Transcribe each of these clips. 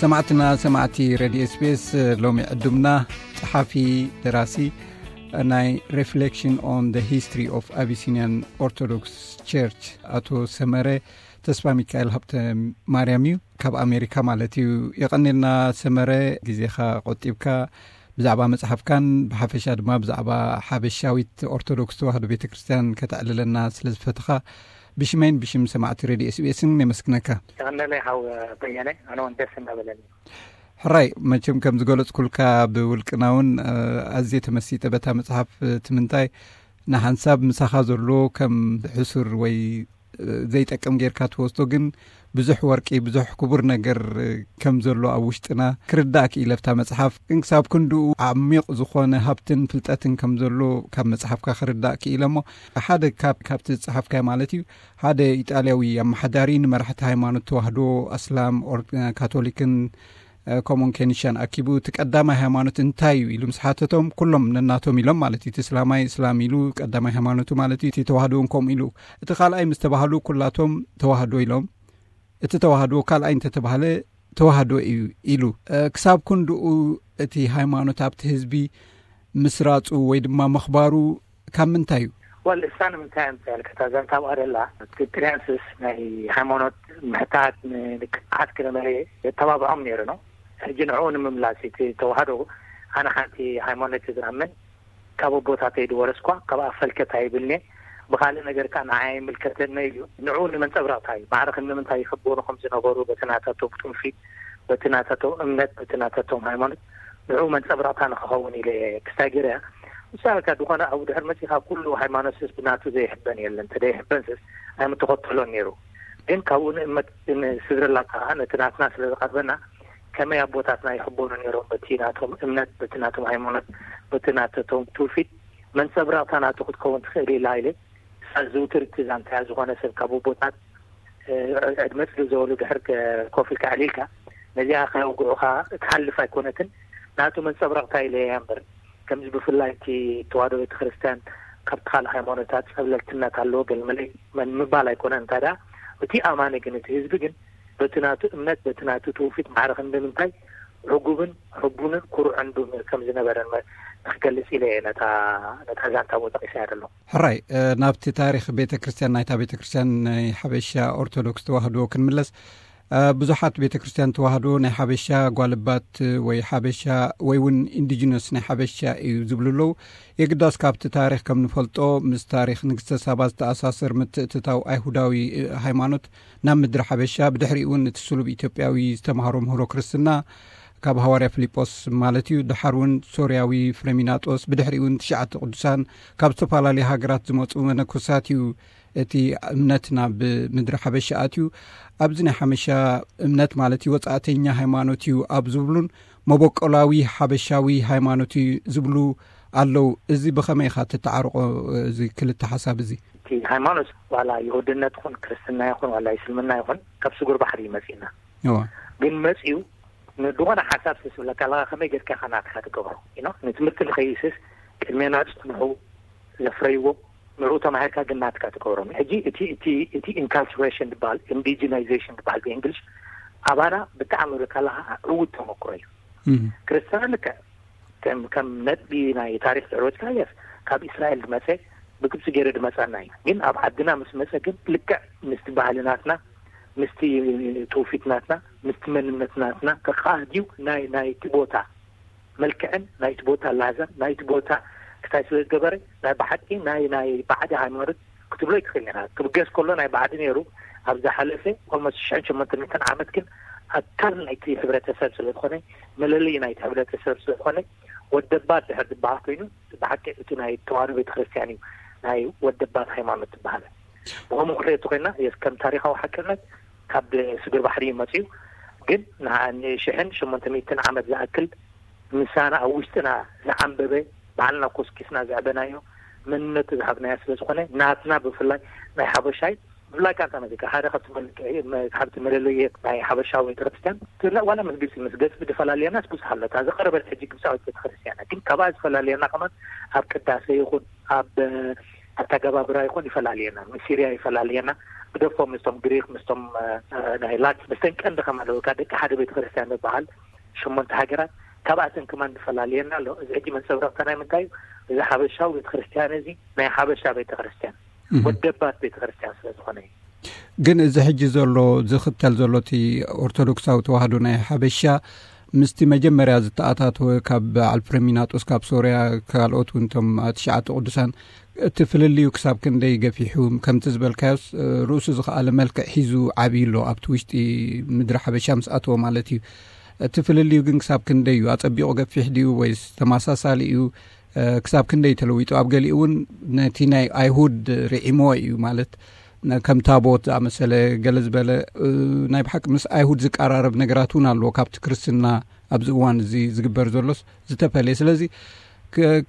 ሰማዕትና ሰማዕቲ ሬድዮ ኤስቢኤስ፣ ሎሚ ዕዱምና ጸሓፊ፣ ደራሲ ናይ Reflection on the History of Abyssinian Orthodox Church ኣቶ ሰመረ ተስፋ ሚካኤል ሃብተ ማርያም እዩ፣ ካብ ኣሜሪካ ማለት እዩ። የቐኔልና ሰመረ፣ ግዜኻ ቆጢብካ ብዛዕባ መጽሓፍካን ብሓፈሻ ድማ ብዛዕባ ሓበሻዊት ኦርቶዶክስ ተዋህዶ ቤተ ክርስቲያን ከተዕልለና ስለ ዝፈተኻ፣ ብሽመይን ብሽም ሰማዕቲ ሬድዮ ኤስቢኤስን የመስግነካ። ተቐነለይ ሓው በየነ፣ ኣነ እውን ደስ እናበለኒ። ሕራይ፣ መቸም ከም ዝገለጽኩልካ ብውልቅና እውን፣ እ፣ ኣዝየ ተመሲጠ በታ መጽሓፍ። እቲ ምንታይ፣ ንሓንሳብ ምሳኻ ዘሎ ከም ሕሱር ወይ፣ እ፣ ዘይጠቅም ጌርካ ትወስዶ፣ ግን ብዙሕ ወርቂ፣ ብዙሕ ክቡር ነገር፣ እ፣ ከም ዘሎ ኣብ ውሽጥና ክርዳእ ክኢለ። ኣብታ መጽሓፍ ግን ክሳብ ክንድኡ ዓሚቕ ዝኾነ ሃብትን ፍልጠትን ከም ዘሎ ካብ መጽሓፍካ ክርዳእ ክኢለ። እሞ ሓደ ካብ፣ ካብቲ ዝጸሓፍካዮ ማለት እዩ፣ ሓደ ኢጣልያዊ ኣመሓዳሪ ንመራሕቲ ሃይማኖት ተዋህዶ፣ ኣስላም፣ ኦር-፣ ካቶሊክን፣ እ፣ ከምኡን ኬኒሻን ኣኪቡ፣ እቲ ቀዳማይ ሃይማኖት እንታይ እዩ ኢሉ ምስ ሓተቶም፣ ኩሎም ነናቶም ኢሎም ማለት እዩ። እቲ እስላማይ እስላም ኢሉ፣ ቀዳማይ ሃይማኖቱ ማለት እዩ። እቲ ተዋህዶ እውን ከምኡ ኢሉ። እቲ ካልኣይ ምስ ተባህሉ፣ ኩላቶም ተዋህዶ ኢሎም። እቲ ተዋህዶ ካልኣይ እንተተባህለ፣ ተዋህዶ እዩ ኢሉ። እ፣ ክሳብ ክንድኡ እቲ ሃይማኖት ኣብቲ ህዝቢ ምስራጹ ወይ ድማ ምኽባሩ ካብ ምንታይ እዩ? ወል እሳ ንምንታይ እንተ ያልከታ ዛንታ ኣብኣ ደላ፣ እቲ ጥርያንስስ ናይ ሃይማኖት ምሕታት ንንቅሓት ክነበረ የተባብዖም ነይሩ ነው። ሕጂ ንዕኡ ንምምላስ እቲ ተዋህዶ፣ ኣነ ሓንቲ ሃይማኖት ዝኣምን፣ ካብ ኣቦታተይ ዝወረስኳ፣ ካብ ኣፈልከት ኣይብልኔ፣ ብኻልእ ነገር ከኣ ንዓይ ኣይምልከተነ እዩ። ንዕኡ ንመንጸብራቕታ እዩ። ማዕረ ክንዲ ምንታይ ይኽበሩ ከም ዝነበሩ፣ በቲ ናታቶም ትውፊት፣ በቲ ናታቶም እምነት፣ በቲ ናታቶም ሃይማኖት፣ ንዕኡ መንጸብራቕታ ንኽኸውን ኢለ ክስታይ ገይረ እያ። ንሳ ከ ዝኾነ ኣብኡ ድሕር መጺኻ፣ ኩሉ ሃይማኖትስስ ብናቱ ዘይሕበን የለን። እንተ ዘይሕበንስስ ኣይምተኸተሎን ነይሩ። ግን ካብኡ ንእመት ንስድረላ ከኣ ነቲ ናትና ስለ ዝቐርበና፣ ከመይ ኣቦታትና ይሕበኑ ነይሮም በቲ ናቶም እምነት፣ በቲ ናቶም ሃይማኖት፣ በቲ ናተቶም ትውፊት፣ መንጸብራቕታ ናቱ ክትከውን ትኽእል ኢላ ኢለ። እሳ ዝውትር እቲ ዛንታያ ዝኾነ ሰብ ካብ ኣቦታት፣ እ፣ ዕድመ ጽልእ ዘበሉ ድሕር ከ-፣ ኮፍ ኢልካ ኣዕሊልካ፣ ነዚኣ ከየውግዑኻ እትሓልፍ ኣይኮነትን። ናቱ መንጸብራቕታ ኢለ እያ እምበር፣ ከምዚ ብፍላይ እቲ ተዋህዶ ቤተክርስትያን ካብቲ ካልእ ሃይማኖታት ጸብለልትነት ኣለዎ፣ ገለመለ መን ምባል ኣይኮነን። እንታይ ደኣ፣ እቲ ኣማኒ ግን፣ እቲ ህዝቢ ግን፣ በቲ ናቱ እምነት፣ በቲ ናቱ ትውፊት ማዕረ ክንዲ ምንታይ ዕጉብን ሕቡንን ኩሩዕን ብ-፣ ከም ዝነበረን መ-፣ ንክገልጽ ኢለ እየ ነታ፣ ነታ ዛንታ ኣብኡ ጠቒሰያ ዘለኹ። ሕራይ፣ እ፣ ናብቲ ታሪኽ ቤተ ክርስቲያን፣ ናይታ ቤተ ክርስቲያን ናይ ሓበሻ ኦርቶዶክስ ተዋህዶ ክንምለስ፣ እ፣ ብዙሓት ቤተ ክርስቲያን ተዋህዶ ናይ ሓበሻ ጓልባት ወይ ሓበሻ ወይ እውን ኢንዲጂነስ ናይ ሓበሻ እዩ ዝብሉ ኣለዉ። የግዳስ ካብቲ ታሪኽ ከም ንፈልጦ፣ ምስ ታሪኽ ንግስተ ሳባ ዝተኣሳሰር ምትእትታው ኣይሁዳዊ፣ እ፣ ሃይማኖት ናብ ምድሪ ሓበሻ፣ ብድሕሪኡ እውን እቲ ስሉብ ኢትዮጵያዊ ዝተምሃሮ ምህሮ ክርስትና ካብ ሃዋርያ ፊልጶስ ማለት እዩ። ድሓር እውን ሶርያዊ ፍሬሚናጦስ፣ ብድሕሪኡ እውን ትሽዓተ ቅዱሳን ካብ ዝተፈላለዩ ሃገራት ዝመጹ መነኮሳት እዩ እቲ እምነት ናብ ምድሪ ሓበሻ ኣትዩ። ኣብዚ ናይ ሓበሻ እምነት ማለት እዩ ወጻእተኛ ሃይማኖት እዩ ኣብ ዝብሉን መበቆላዊ ሓበሻዊ ሃይማኖት እዩ ዝብሉ ኣለዉ። እዚ ብኸመይ ኢኻ ትተዓርቆ፣ እዚ ክልተ ሓሳብ እዚ? እቲ ሃይማኖት ዋላ ይሁድነት ይኹን ክርስትና ይኹን ዋላ እስልምና ይኹን ካብ ስጉር ባሕሪ እዩ መጺእና። እዋ። ግን መጺኡ ንድኾነ ሓሳብ ስስ ብለካ ኣለኻ፣ ከመይ ጌርካ ኢኻ ናትካ ትገብሮ? You know፣ ንትምህርቲ ንኸይስስ ቅድሜና ጽንሑ ዘፍረይዎ ንዕኡ ተማሂርካ ግን ናትካ ትገብሮ። ሕጂ እቲ፣ እቲ፣ እቲ ኢንካልቸሬሽን ዝበሃል፣ ኢንዲጂናይዜሽን ዝበሃል ብእንግሊሽ ኣባና ብጣዕሚ ብለካ ኣለኻ ዕዉት ተመክሮ እዩ። እም። ክርስትና ልክዕ ከም፣ ከም ነጥቢ ናይ ታሪኽ ድሕር ወጽካ፣ የስ፣ ካብ እስራኤል ዝመጸ፣ ብግብጺ ገይሩ ዝመጸና እዩ። ግን ኣብ ዓድና ምስ መጸ ግን ልክዕ ምስቲ ባህሊ ናትና፣ ምስቲ ትውፊት ናትና፣ ምስቲ መንነት ናትና ከቃድዩ ናይ፣ ናይቲ ቦታ መልክዕን ናይቲ ቦታ ላዛን ናይቲ ቦታ ክታይ ስለ ዝገበረ፣ ናይ ብሓቂ ናይ፣ ናይ ባዕዲ ሃይማኖት ክትብሎ ኣይትኽእልን ኢኻ። ክብገስ ከሎ ናይ ባዕዲ ነይሩ፣ ኣብ ዝሓለፈ ኦልሞስት ሽሕን ሸሞንተ ሚእትን ዓመት ግን ኣካል ናይቲ ሕብረተሰብ ስለ ዝኾነ፣ መለለዪ ናይቲ ሕብረተሰብ ስለ ዝኾነ፣ ወደባት ድሕር ዝበሃል ኮይኑ፣ ብሓቂ እቲ ናይ ተዋህዶ ቤተክርስትያን እዩ ናይ ወደባት ሃይማኖት ዝበሃል። ብኸምኡ ክንሪኦ እንተኾይና፣ የስ፣ ከም ታሪኻዊ ሓቅነት ካብ ስግር ባሕሪ እዩ መጺኡ። ግን ንዓ-፣ ንሽሕን ሸሞንተ ሚእትን ዓመት ዝኣክል ምሳና ኣብ ውሽጥና ዝዓንበበ፣ ባዕልና ኮስኪስና ዘዕበናዮ፣ መንነቱ ዝሃብናዮ ስለ ዝኾነ፣ ናትና ብፍላይ ናይ ሓበሻይ፣ ብፍላይ ቃንታ መዚቃ፣ ሓደ ካብቲ መል-፣ መ-፣ ካብቲ መለለየት ናይ ሓበሻዊ ቤተክርስትያን፣ ትላ-፣ ዋላ ምስ ግብጺ፣ ምስ ግብጺ ዝፈላልየናስ ብዙሕ ኣሎ። እታ ዝቐረበት ሕጂ ግብጻዊት ቤተክርስትያን፣ ግን ካብኣ ዝፈላልየና ከማን ኣብ ቅዳሴ ይኹን፣ ኣብ ኣተገባብራ ይኹን ይፈላልየና። ምስ ሲርያ ይፈላልየና፣ ግደፎም ምስቶም ግሪክ፣ ምስቶም ናይ ላቲን፣ ምስተን ቀንዲ ከማለውካ ደቂ ሓደ ቤተክርስትያን ዝበሃል ሸሞንተ ሃገራት፣ ካብኣተን ከማን ዝፈላልየና ኣሎ። እዚ ሕጂ መንጸብረቕታ ናይ ምንታይ እዩ? እዚ ሓበሻዊ ቤተክርስትያን እዚ ናይ ሓበሻ ቤተክርስትያን፣ ወደባት ቤተክርስትያን ስለ ዝኾነ እዩ። ግን እዚ ሕጂ ዘሎ ዝኽተል ዘሎ እቲ ኦርቶዶክሳዊ ተዋህዶ ናይ ሓበሻ ምስቲ መጀመርያ ዝተኣታተወ ካብ በዓል ፍረሚናጦስ ካብ ሶርያ ካልኦት እውን እቶም ትሽዓተ ቅዱሳን እቲ ፍልልዩ ክሳብ ክንደይ ገፊሑ? ከምቲ ዝበልካዮስ ርእሱ ዝኸኣለ መልክዕ ሒዙ ዓብዩ ኣሎ ኣብቲ ውሽጢ ምድሪ ሓበሻ ምስ ኣተወ ማለት እዩ። እቲ ፍልልዩ ግን ክሳብ ክንደይ እዩ? ኣጸቢቑ ገፊሕ ድዩ ወይስ ተመሳሳሊ እዩ? ክሳብ ክንደይ ተለዊጡ? ኣብ ገሊኡ እውን ነቲ ናይ ኣይሁድ ርዒሞ እዩ ማለት ከም ታቦት ዝኣመሰለ ገለ ዝበለ ናይ ብሓቂ ምስ ኣይሁድ ዝቀራረብ ነገራት እውን ኣለዎ ካብቲ ክርስትና ኣብዚ እዋን እዚ ዝግበር ዘሎስ ዝተፈለየ። ስለዚ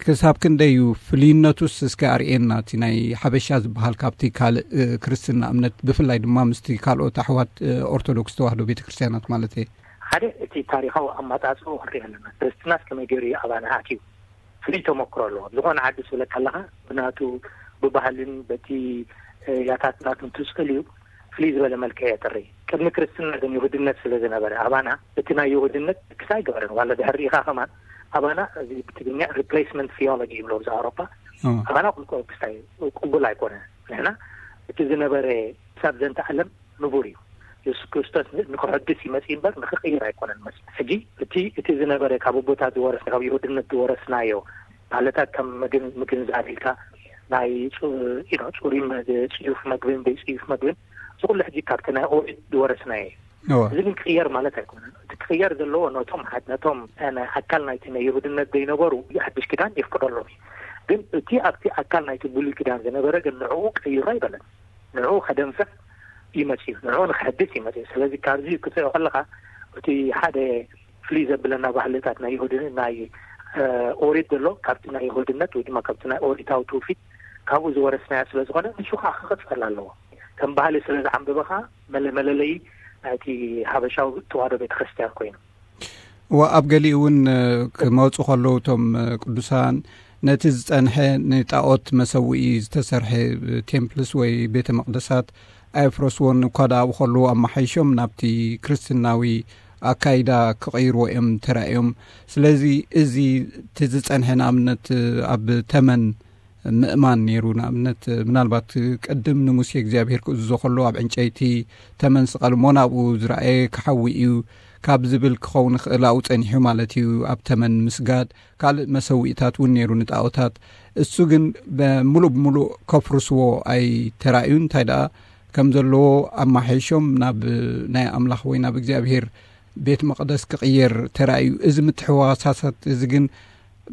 ክሳብ ክንደይ እዩ ፍልይነቱስ እስከ ኣርእየና እቲ ናይ ሓበሻ ዝበሃል ካብቲ ካልእ ክርስትና እምነት ብፍላይ ድማ ምስቲ ካልኦት ኣሕዋት ኦርቶዶክስ ተዋህዶ ቤተክርስትያናት ማለት እየ። ሓደ እቲ ታሪኻዊ ኣማጻጽኡ ክንርኢ ኣለና። ክርስትናስ ከመይ ገይሩ እዩ ኣባና ኣትዩ? ፍሉይ ተመክሮ ኣለዎ። ዝኾነ ዓዲ ስብለካ ኣለኻ ብናቱ ብባህልን በቲ ያታት ናቱን ትስእል እዩ ፍልይ ዝበለ መልክዕ የጥሪ። ቅድሚ ክርስትና ግን ይሁድነት ስለ ዝነበረ ኣባና እቲ ናይ ይሁድነት ክስታይ ገበረን ዋላ ድሕር ርኢኻ ከማን ኣባና እዚ ብትግርኛ replacement theology ይብሎ ብዛ ኣውሮፓ ኣባና ቁልቁ ክስታይ ቅቡል ኣይኮነ። ንሕና እቲ ዝነበረ ክሳብ ዘንተ ዓለም ንቡር እዩ። የሱስ ክርስቶስ ንክሕድስ ይመጽእ እምበር ንክቅይር ኣይኮነን መጽእ። ሕጂ እቲ እቲ ዝነበረ ካብ ኣቦታት ዝወረስ ካብ ይሁድነት ዝወረስናዮ ባህልታት ከም ምግን ምግንዛብ ኢልካ ናይ ጽሩይ ጽዩፍ መግብን ዘይጽዩፍ መግብን እዚ ኩሉ ሕጂ ካብቲ ናይ ኦሪት ዝወረስናዮ እዩ። እዚ ግን ክቅየር ማለት ኣይኮነን። እቲ ክቅየር ዘለዎ ነቶም ነቶም ኣካል ናይቲ ናይ ይሁድነት ዘይነበሩ ሓድሽ ኪዳን የፍቅደሎም እዩ። ግን እቲ ኣብቲ ኣካል ናይቲ ብሉይ ኪዳን ዝነበረ ግን ንዕኡ ቀይሮ ኣይበለን። ንዕኡ ከደንፍዕ ይመጽእ እዩ። ንዕኡ ንክሕድስ ይመጽእ እዩ። ስለዚ ካብዚ ክትሪኦ ከለኻ እቲ ሓደ ፍልይ ዘብለና ባህልታት ናይ ይሁድ ናይ ኦሪት ዘሎ ካብቲ ናይ ይሁድነት ወይ ድማ ካብቲ ናይ ኦሪታዊ ትውፊት ካብኡ ዝወረስናዮ ስለ ዝኾነ ንሱ ከዓ ክቕጸል ኣለዎ። ከም ባህሊ ስለ ዝዓንበበ ከዓ መለ መለለዪ ናይቲ ሓበሻዊ ተዋህዶ ቤተክርስትያን ኮይኑ እዋ ኣብ ገሊኡ እውን ክመፁ ከለዉ እቶም ቅዱሳን ነቲ ዝፀንሐ ንጣኦት መሰውኢ ዝተሰርሐ ቴምፕልስ ወይ ቤተ መቅደሳት ኣየፍረስዎን እኳ ደኣ ኣብኡ ከለዉ ኣመሓይሾም ናብቲ ክርስትናዊ ኣካይዳ ክቐይርዎ እዮም ተራእዮም። ስለዚ እዚ እቲ ዝፀንሐ ንኣብነት ኣብ ተመን ምእማን ነይሩ። ንኣብነት ምናልባት ቅድም ንሙሴ እግዚኣብሔር ክእዝዞ ከሎ ኣብ ዕንጨይቲ ተመን ስቐል እሞ ናብኡ ዝረኣየ ክሓዊ እዩ ካብ ዝብል ክኸውን ይኽእል ኣብኡ ጸኒሑ ማለት እዩ። ኣብ ተመን ምስጋድ ካልእ መሰውኢታት እውን ነይሩ ንጣኦታት። እሱ ግን ሙሉእ ብሙሉእ ከፍርስዎ ኣይተራእዩን። እንታይ ደኣ ከም ዘለዎ ኣማሓይሾም ናብ ናይ ኣምላኽ ወይ ናብ እግዚኣብሔር ቤት መቕደስ ክቕየር ተራእዩ። እዚ ምትሕዋሳሳት እዚ ግን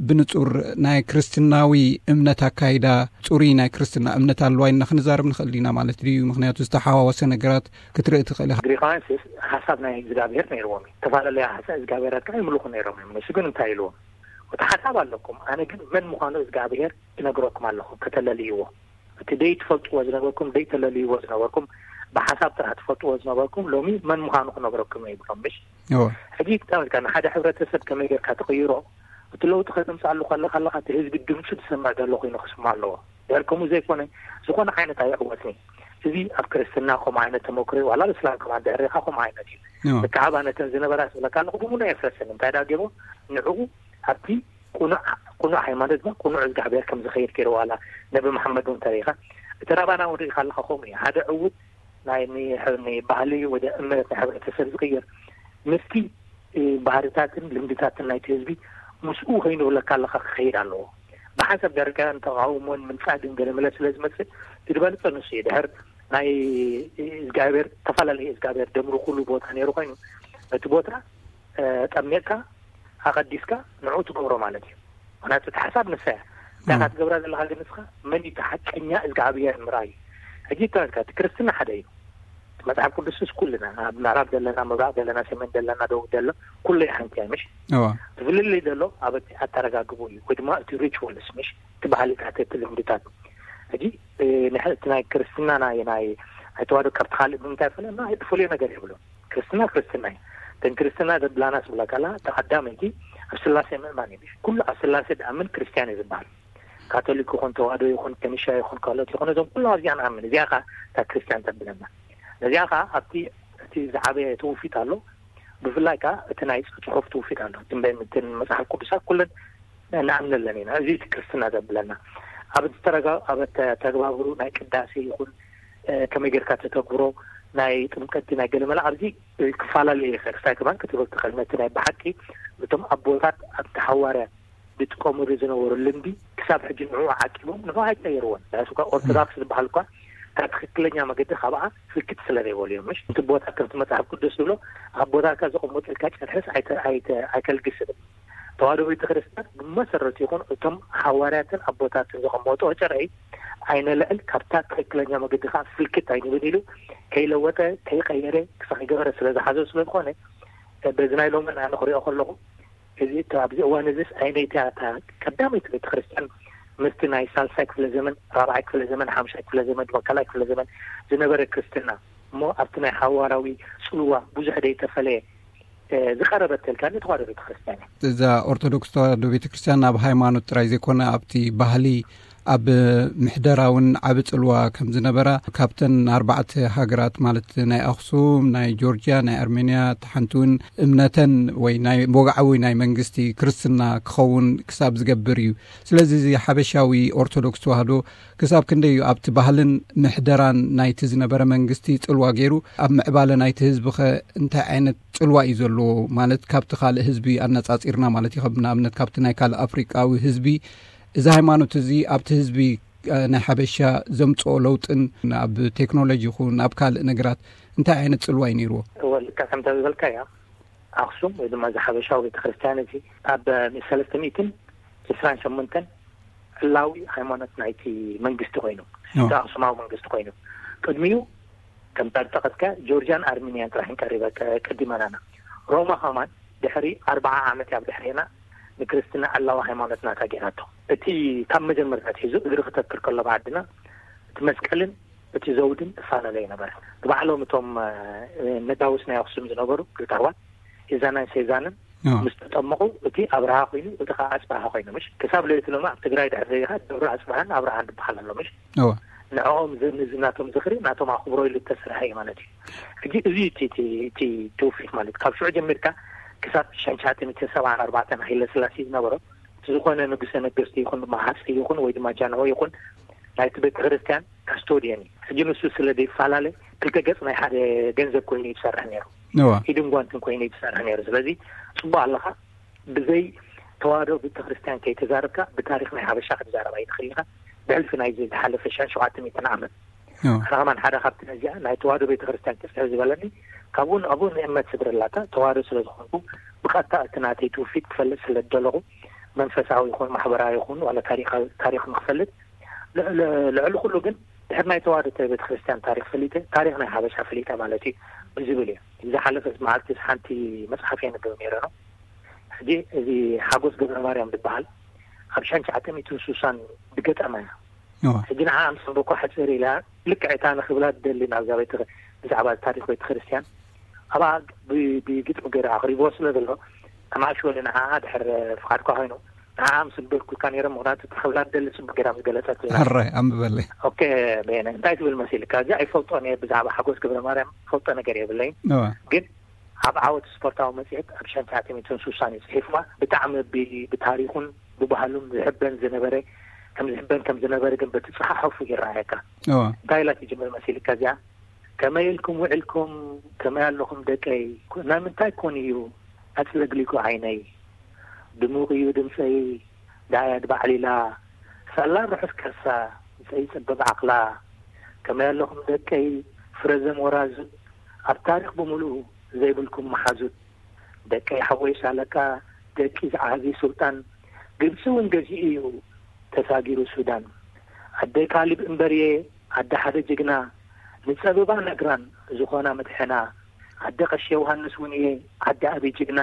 ብንጹር ናይ ክርስትናዊ እምነት ኣካይዳ ጽሩይ ናይ ክርስትና እምነት ኣለዋ ኢልና ክንዛረብ ንኽእል ኢና ማለት ድዩ? ምክንያቱ ዝተሓዋወሰ ነገራት ክትርኢ ትኽእል ኢኻ። ግሪኻውያን ሓሳብ ናይ እግዚኣብሔር ነይርዎም እዩ። ዝተፈላለያ ሓሳብ እግዚኣብሔራት ከዓ ይምልኹ ነይሮም እዮም። ንሱ ግን እንታይ ኢልዎም? እቲ ሓሳብ ኣለኩም፣ ኣነ ግን መን ምዃኑ እግዚኣብሔር እነግረኩም ኣለኹ፣ ከተለልይዎ። እቲ ደይ ትፈልጥዎ ዝነበርኩም ደይ ተለልይዎ ዝነበርኩም ብሓሳብ ጥራሕ ትፈልጥዎ ዝነበርኩም ሎሚ መን ምዃኑ ክነግረኩም እየ ይብሎም። ምሽ ሕጂ ተመልካ ንሓደ ሕብረተሰብ ከመይ ጌርካ ትቕይሮ? እቲ ለውጢ ከተምፅኣሉ ከለካ ኣለካ እቲ ህዝቢ ድምፁ ዝሰምዕ ዘሎ ኮይኑ ክስማ ኣለዎ። ድሕር ከምኡ ዘይኮነ ዝኾነ ዓይነት ኣይዕወትኒ። እዚ ኣብ ክርስትና ከምኡ ዓይነት ተመክሮ እዩ፣ ዋላ ኣብ እስላም ከማን ድሕር ኢኻ ከምኡ ዓይነት እዩ። ብካዕባ ነተን ዝነበራ ስብለካ ኣለኹ ብሙሉ የፍረሰን እንታይ ዳ ገይርዎ ንዕኡ ኣብቲ ቁኑዕ ቁኑዕ ሃይማኖት ማ ቁኑዕ እግዚኣብሔር ከም ዝኸይድ ገይርዎ ኣላ። ነቢ መሓመድ እውን ተሪኻ እቲ ራባና እውን ርኢኻ ኣለኻ ከምኡ እዩ። ሓደ ዕውት ናይ ባህሊ ወደ እምነት ናይ ሕብረተሰብ ዝቕየር ምስቲ ባህርታትን ልምድታትን ናይቲ ህዝቢ ምስኡ ከይንብለካ ኣለካ ክኸይድ ኣለዎ። ብሓንሳብ ደረጃ ተቃውሞን ምንጻግን ገለመለ ስለ ዝመጽእ ዝድበልጸ ንሱ እዩ። ድሕር ናይ እግዚኣብሔር ተፈላለየ እግዚኣብሔር ደምሩ ኩሉ ቦታ ነይሩ ኮይኑ ነቲ ቦታ ጠሚቕካ ኣቐዲስካ ንዕኡ ትገብሮ ማለት እዩ። ምክንያቱ እቲ ሓሳብ ንሳ እያ። እንታይ ትገብራ ዘለካ ግን ንስካ መን እዩ ሓቀኛ እግዚኣብሔር ምርኣይ። ሕጂ ተመልካ እቲ ክርስትና ሓደ እዩ። መፅሓፍ ቅዱስስ ኩልና ኣብ ምዕራብ ዘለና ምብራቅ ዘለና ሰሜን ዘለና ደቡብ ዘሎ ኩሉ ሓንቲ እያ ምሽ? እቲ ፍልልይ ዘሎ ኣብ ኣተረጋግቡ እዩ ወይ ድማ እቲ ሪቹዋልስ ምሽ እቲ ባህልታት እቲ ልምድታት። ሕጂ እቲ ናይ ክርስትና ናይ ናይ ኣይተዋዶ ካብቲ ካልእ ብምንታይ ፈለና ኣይትፈልዮ ነገር የብሉን። ክርስትና ክርስትና እዩ። እተን ክርስትና ዘብላና ስብላ ከላ ተቀዳመይቲ ኣብ ስላሴ ምእማን እዩ። ኩሉ ኣብ ስላሴ ድኣምን ክርስትያን እዩ ዝበሃል። ካቶሊክ ይኹን፣ ተዋህዶ ይኹን፣ ከኒሻ ይኹን፣ ካልኦት ይኹን፣ እዞም ኩሎም ኣብዚኣ ንኣምን። እዚኣ ኸዓ እታ ክርስትያን ተብለና። ነዚኣ ኸዓ ኣብቲ፣ እቲ ዝዓበየ ትውፊት ኣሎ። ብፍላይ ከኣ እቲ ናይ ጽ-፣ ጽሑፍ ትውፊት ኣሎ። እቲ መ-፣ እቲ መጽሓፍ ቅዱሳት ኩለን ንኣምነለን ኢና። እዚ እቲ ክርስትና ዘብለና። ኣብ ዝተረጋ-፣ ኣብ ተግባብሩ ናይ ቅዳሴ ይኹን፣ እ፣ ከመይ ጌርካ ተተግብሮ፣ ናይ ጥምቀት፣ ናይ ገለ መለ ኣብዚ ክፈላለ ይኽእል። ክሳይ ከማን ክትብል ትኽእል። ነቲ ናይ ብሓቂ እቶም ኣቦታት ኣብቲ ሓዋርያ ዝጥቀምሉ ዝነበሩ ልምዲ ክሳብ ሕጂ ንዕኡ ዓቂቦም ንዕኡ ኣይቀየርዎን። ንሱ እኳ ኦርቶዶክስ ዝበሃል እኳ ካብ ትኽክለኛ መገዲ ካብኣ ፍልክት ስለ ዘይበሉ እዮም። ምሽ እቲ ቦታ ከምቲ መጽሓፍ ቅዱስ ዝብሎ ኣብ ቦታካ ዘቐመጠልካ ጨርሕስ ኣይተ-፣ ኣይተ-፣ ኣይከልግስን። ተዋህዶ ቤተ ክርስቲያን ብመሰረቱ ይኹን እቶም ሓዋርያትን ኣቦታትን ዘቐመጥዎ ጨርሒ ኣይነልዕል፣ ካብታ ትኽክለኛ መገዲ ከዓ ፍልክት ኣይንብል ኢሉ ከይለወጠ ከይቀየረ ክሳብ ከይገበረ ስለ ዝሓዞ ስለ ዝኾነ በዚ ናይ ሎሚ ኣነ ክሪኦ ከለኹ እዚ እታ ኣብዚ እዋን እዚስ ኣይነይቲ እታ ቀዳመይቲ ቤተ ክርስቲያን ምስቲ ናይ ሳልሳይ ክፍለ ዘመን፣ ራብዓይ ክፍለ ዘመን፣ ሓምሻይ ክፍለ ዘመን፣ ድማ ካልኣይ ክፍለ ዘመን ዝነበረ ክርስትና እሞ ኣብቲ ናይ ሓዋርያዊ ጽልዋ ብዙሕ ደይተፈለየ፣ እ፣ ዝቐረበት ተልካ ንተዋህዶ ቤተ ክርስቲያን እያ። እዛ ኦርቶዶክስ ተዋህዶ ቤተ ክርስቲያን ኣብ ሃይማኖት ጥራይ ዘይኮነ ኣብቲ ባህሊ፣ ኣብ ምሕደራ እውን ዓቢ ጽልዋ ከም ዝነበራ ካብተን ኣርባዕተ ሃገራት ማለት ናይ ኣኽሱም፣ ናይ ጆርጅያ፣ ናይ ኣርሜንያ፣ እቲ ሓንቲ እውን እምነተን ወይ ናይ ወግዓዊ ናይ መንግስቲ ክርስትና ክኸውን ክሳብ ዝገብር እዩ። ስለዚ እዚ ሓበሻዊ ኦርቶዶክስ ተዋህዶ ክሳብ ክንደይ እዩ ኣብቲ ባህልን ምሕደራን ናይቲ ዝነበረ መንግስቲ ጽልዋ ገይሩ? ኣብ ምዕባለ ናይቲ ህዝቢ ኸ እንታይ ዓይነት ጽልዋ እዩ ዘለዎ? ማለት ካብቲ ካልእ ህዝቢ ኣነጻጺርና ማለት እዩ። ከም ንኣብነት ካብቲ ናይ ካልእ ኣፍሪቃዊ ህዝቢ እዚ ሃይማኖት እዚ ኣብቲ ህዝቢ፣ እ፣ ናይ ሓበሻ ዘምጽኦ ለውጥን ኣብ ቴክኖሎጂ ይኹን ኣብ ካልእ ነገራት እንታይ ዓይነት ጽልዋ እዩ ነይርዎ? እወ፣ ልክዕ ከምታ ዝበልካያ፣ ኣኽሱም ወይ ድማ እዚ ሓበሻዊ ቤተክርስትያን እዚ ኣብ ሰለስተ ሚእትን ዕስራን ሸሞንተን ዕላዊ ሃይማኖት ናይቲ መንግስቲ ኮይኑ፣ ኦ። እቲ ኣኽሱማዊ መንግስቲ ኮይኑ፣ ቅድሚኡ ከምታ ዝጠቐስካ ጆርጅያን ኣርሚንያን ጥራሕ ቀሪበ ቀ-፣ ቀዲመናና። ሮማ ኸማን ድሕሪ ኣርብዓ ዓመት ኣብ ድሕሬና ንክርስትና ዕላዊ ሃይማኖት ናታ ገይራቶ። እቲ ካብ መጀመርታ ኣትሒዙ እግሪ ክተክል ከሎ ብዓድና እቲ መስቀልን እቲ ዘውድን እፋለለ ይነበረ። ንባዕሎም እቶም፣ እ፣ ነጋውስ ናይ ኣኽሱም ዝነበሩ ክልተ ኣሕዋት ሄዛናን ሴዛንን ኦ። ምስ ተጠመቑ እቲ ኣብርሃ ኮይኑ፣ እቲ ኸዓ ኣጽብሃ ኮይኑ፣ ምሽ ክሳብ ለይቲ ሎሚ ኣብ ትግራይ ድሕሪ ርኢኻ ደብረ ኣጽብሃን ኣብርሃን ዝበሃል ኣሎ፣ ምሽ እወ። ንዕኦም ዝ-፣ ንዝ-፣ ናቶም ዝኽሪ ናቶም ኣኽብሮ ኢሉ ዝተሰርሐ እዩ ማለት እዩ። ሕጂ እዚ እቲ፣ እቲ፣ እቲ ትውፊት ማለት ካብ ሽዑ ጀሚርካ ክሳብ ሽሕን ትሽዓተ ሚእትን ሰብዓን ኣርባዕተን ሃይለ ስላሴ ዝነበሮ እቲ ዝኾነ ንጉሰ ነገስት ይኹን ድማ ሃፀይ ይኹን ወይ ድማ ጃንሆ ይኹን ናይቲ ቤተ ክርስቲያን ካስቶዲየን እዩ። ሕጂ ንሱ ስለ ዘይፈላለ ክልተ ገጽ ናይ ሓደ ገንዘብ ኮይኑ እዩ ዝሰርሕ ነይሩ። እዋ። ኢድን ጓንትን ኮይኑ እዩ ዝሰርሕ ነይሩ። ስለዚ ጽቡቕ ኣለኻ። ብዘይ ተዋህዶ ቤተክርስትያን ከይተዛረብካ ብታሪኽ ናይ ሓበሻ ክትዛረብ ኣይትኽእል ኢኻ። ብሕልፊ ናይዚ ዝሓለፈ ሸ-፣ ሸውዓተ ሚእትን ዓመት። እዋ። ኣነ ከማን ሓደ ካብቲ ነዚኣ ናይ ተዋህዶ ቤተክርስትያን ቅጽዕ ዝበለኒ ካብኡ ንኣብኡ ንእምነት ስድረላታ ተዋህዶ ስለ ዝኾንኩ ብቐጥታ እቲ ናተይ ትውፊት ክፈልጥ ስለ ዝደለኹ መንፈሳዊ ይኹን ማሕበራዊ ይኹን ዋላ ታሪኻዊ ታሪኽ ንክፈልጥ ል-፣ ል-፣ ልዕሊ ኩሉ ግን ድሕሪ ናይ ተዋህዶ ቤተክርስትያን ታሪኽ ፈሊጠ ታሪኽ ናይ ሓበሻ ፈሊጠ ማለት እዩ ብዝብል እዩ። ዝሓለፈት መዓልቲ ሓንቲ መጽሓፍ የንብብ ነይረ ነው። ሕጂ እዚ ሓጎስ ገብረ ማርያም ዝበሃል ኣብ ሸሕን ትሽዓተ ሚእትን ስሳን ዝገጠማ እያ። እዋ። ሕጂ ንዓ ኣምሰንበኳ ሕጽር ኢላ ልክዕ እታ ንክብላ ትደሊ ናብዛ ቤተ-፣ ብዛዕባ ታሪኽ ቤተክርስትያን ኣብኣ ብ-፣ ብግጥሚ ገይረ ኣቕሪብዎ ስለ ዘሎ ከማዕሽወሉ ንዓ ድሕር ፍቓድካ ኮይኑ ንዓ ኣምስንበርኩልካ ነይረ። ምኽንያቱ እታ ክብላ ትደሊ ጽቡቅ ገይራ ምስ ገለጸት። ሕራይ ኣንብበለይ። ኦኬ፣ በየነ እንታይ ትብል መሲልካ? እዚ ኣይፈልጦን እየ ብዛዕባ ሓጎስ ገብረ ማርያም ፈልጦ ነገር የብለይን። እዋ። ግን ኣብ ዓወት ስፖርታዊ መጽሔት ኣብ ሸሕን ትሽዓተ ሚእትን ስሳን እዩ ጽሒፍዋ። ብጣዕሚ ብ-፣ ብታሪኹን ብባህሉን ዝሕበን ዝነበረ፣ ከም ዝሕበን ከም ዝነበረ ግን በቲ ጽሓሕፉ ይረኣየካ። እዋ። እንታይ ኢላ ትጅምር መሲልካ እዚኣ? ከመይ ኢልኩም ውዕልኩም? ከመይ ኣለኹም ደቀይ? ኩ-፣ ናይ ምንታይ ኮን እዩ ኣጽለግሊጉ ዓይነይ? ድሙቕ እዩ ድምጸይ፣ ደኣያ ድባዕሊላ፣ ሳላ ርሑስ ከርሳ፣ ምጸይ ጸበብ ዓቕላ። ከመይ ኣለኹም ደቀይ? ፍረዘም ወራዙት፣ ኣብ ታሪኽ ብምሉኡ ዘይብልኩም መሓዙት። ደቀይ ሓወይ ሻለቃ፣ ደቂ ዝዓቢ ሱልጣን፣ ግብጺ እውን ገዚኡ እዩ ተሳጊሩ ሱዳን። ኣደ ካሊብ እምበርየ፣ ኣደ ሓደ ጅግና፣ ንጸበባ ነግራን ዝኾና መድሕና። ኣደ ቀሺ ዮሃንስ እውን እየ፣ ዓዲ ኣቢ ጅግና፣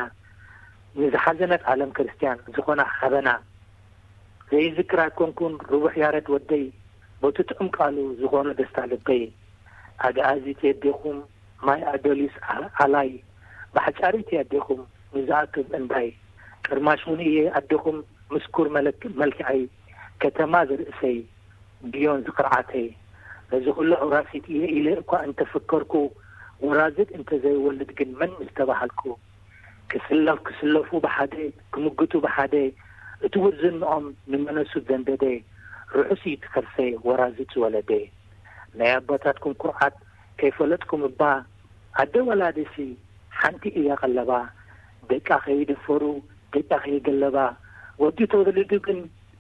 ንዝሓዘነት ዓለም ክርስትያን ዝኾና ሓበና። ዘይዝክር ኣይኮንኩን ርቡሕ ያረድ ወደይ፣ በቲ ጥዑም ቃሉ ዝኾኖ ደስታ ልበይ። ኣግኣዚት የዴኹም ማይ ኣዶሊስ ኣ-፣ ኣላይ፣ ባሕጫሪት የዴኹም ንዝኣክብ እንዳይ። ቅርማሽ እውን እየ ኣዴኹም ምስኩር መለክ-፣ መልክዐይ። ከተማ ዝርእሰይ፣ ግዮን ዝኽርዓተይ፣ ነዚ ኩሉ ኣውራሲት እየ ኢለ እኳ እንተፈከርኩ፣ ወራዝድ እንተዘይወልድ ግን መን ምስተባሃልኩ፣ ክስለፍ ክስለፉ ብሓደ፣ ክምግቱ ብሓደ፣ እቲ ውርዝንኦም ንመነሱ ዘንደደ፣ ርሑስ እዩ እቲ ከርሰይ ወራዝድ ዝወለደ። ናይ ኣቦታትኩም ኩርዓት ከይፈለጥኩም እባ፣ ኣደ ወላዲሲ ሓንቲ እያ ቀለባ፣ ደቃ ከይደፈሩ፣ ደቃ ከይገለባ፣ ወዲ ተወሊዱ ግን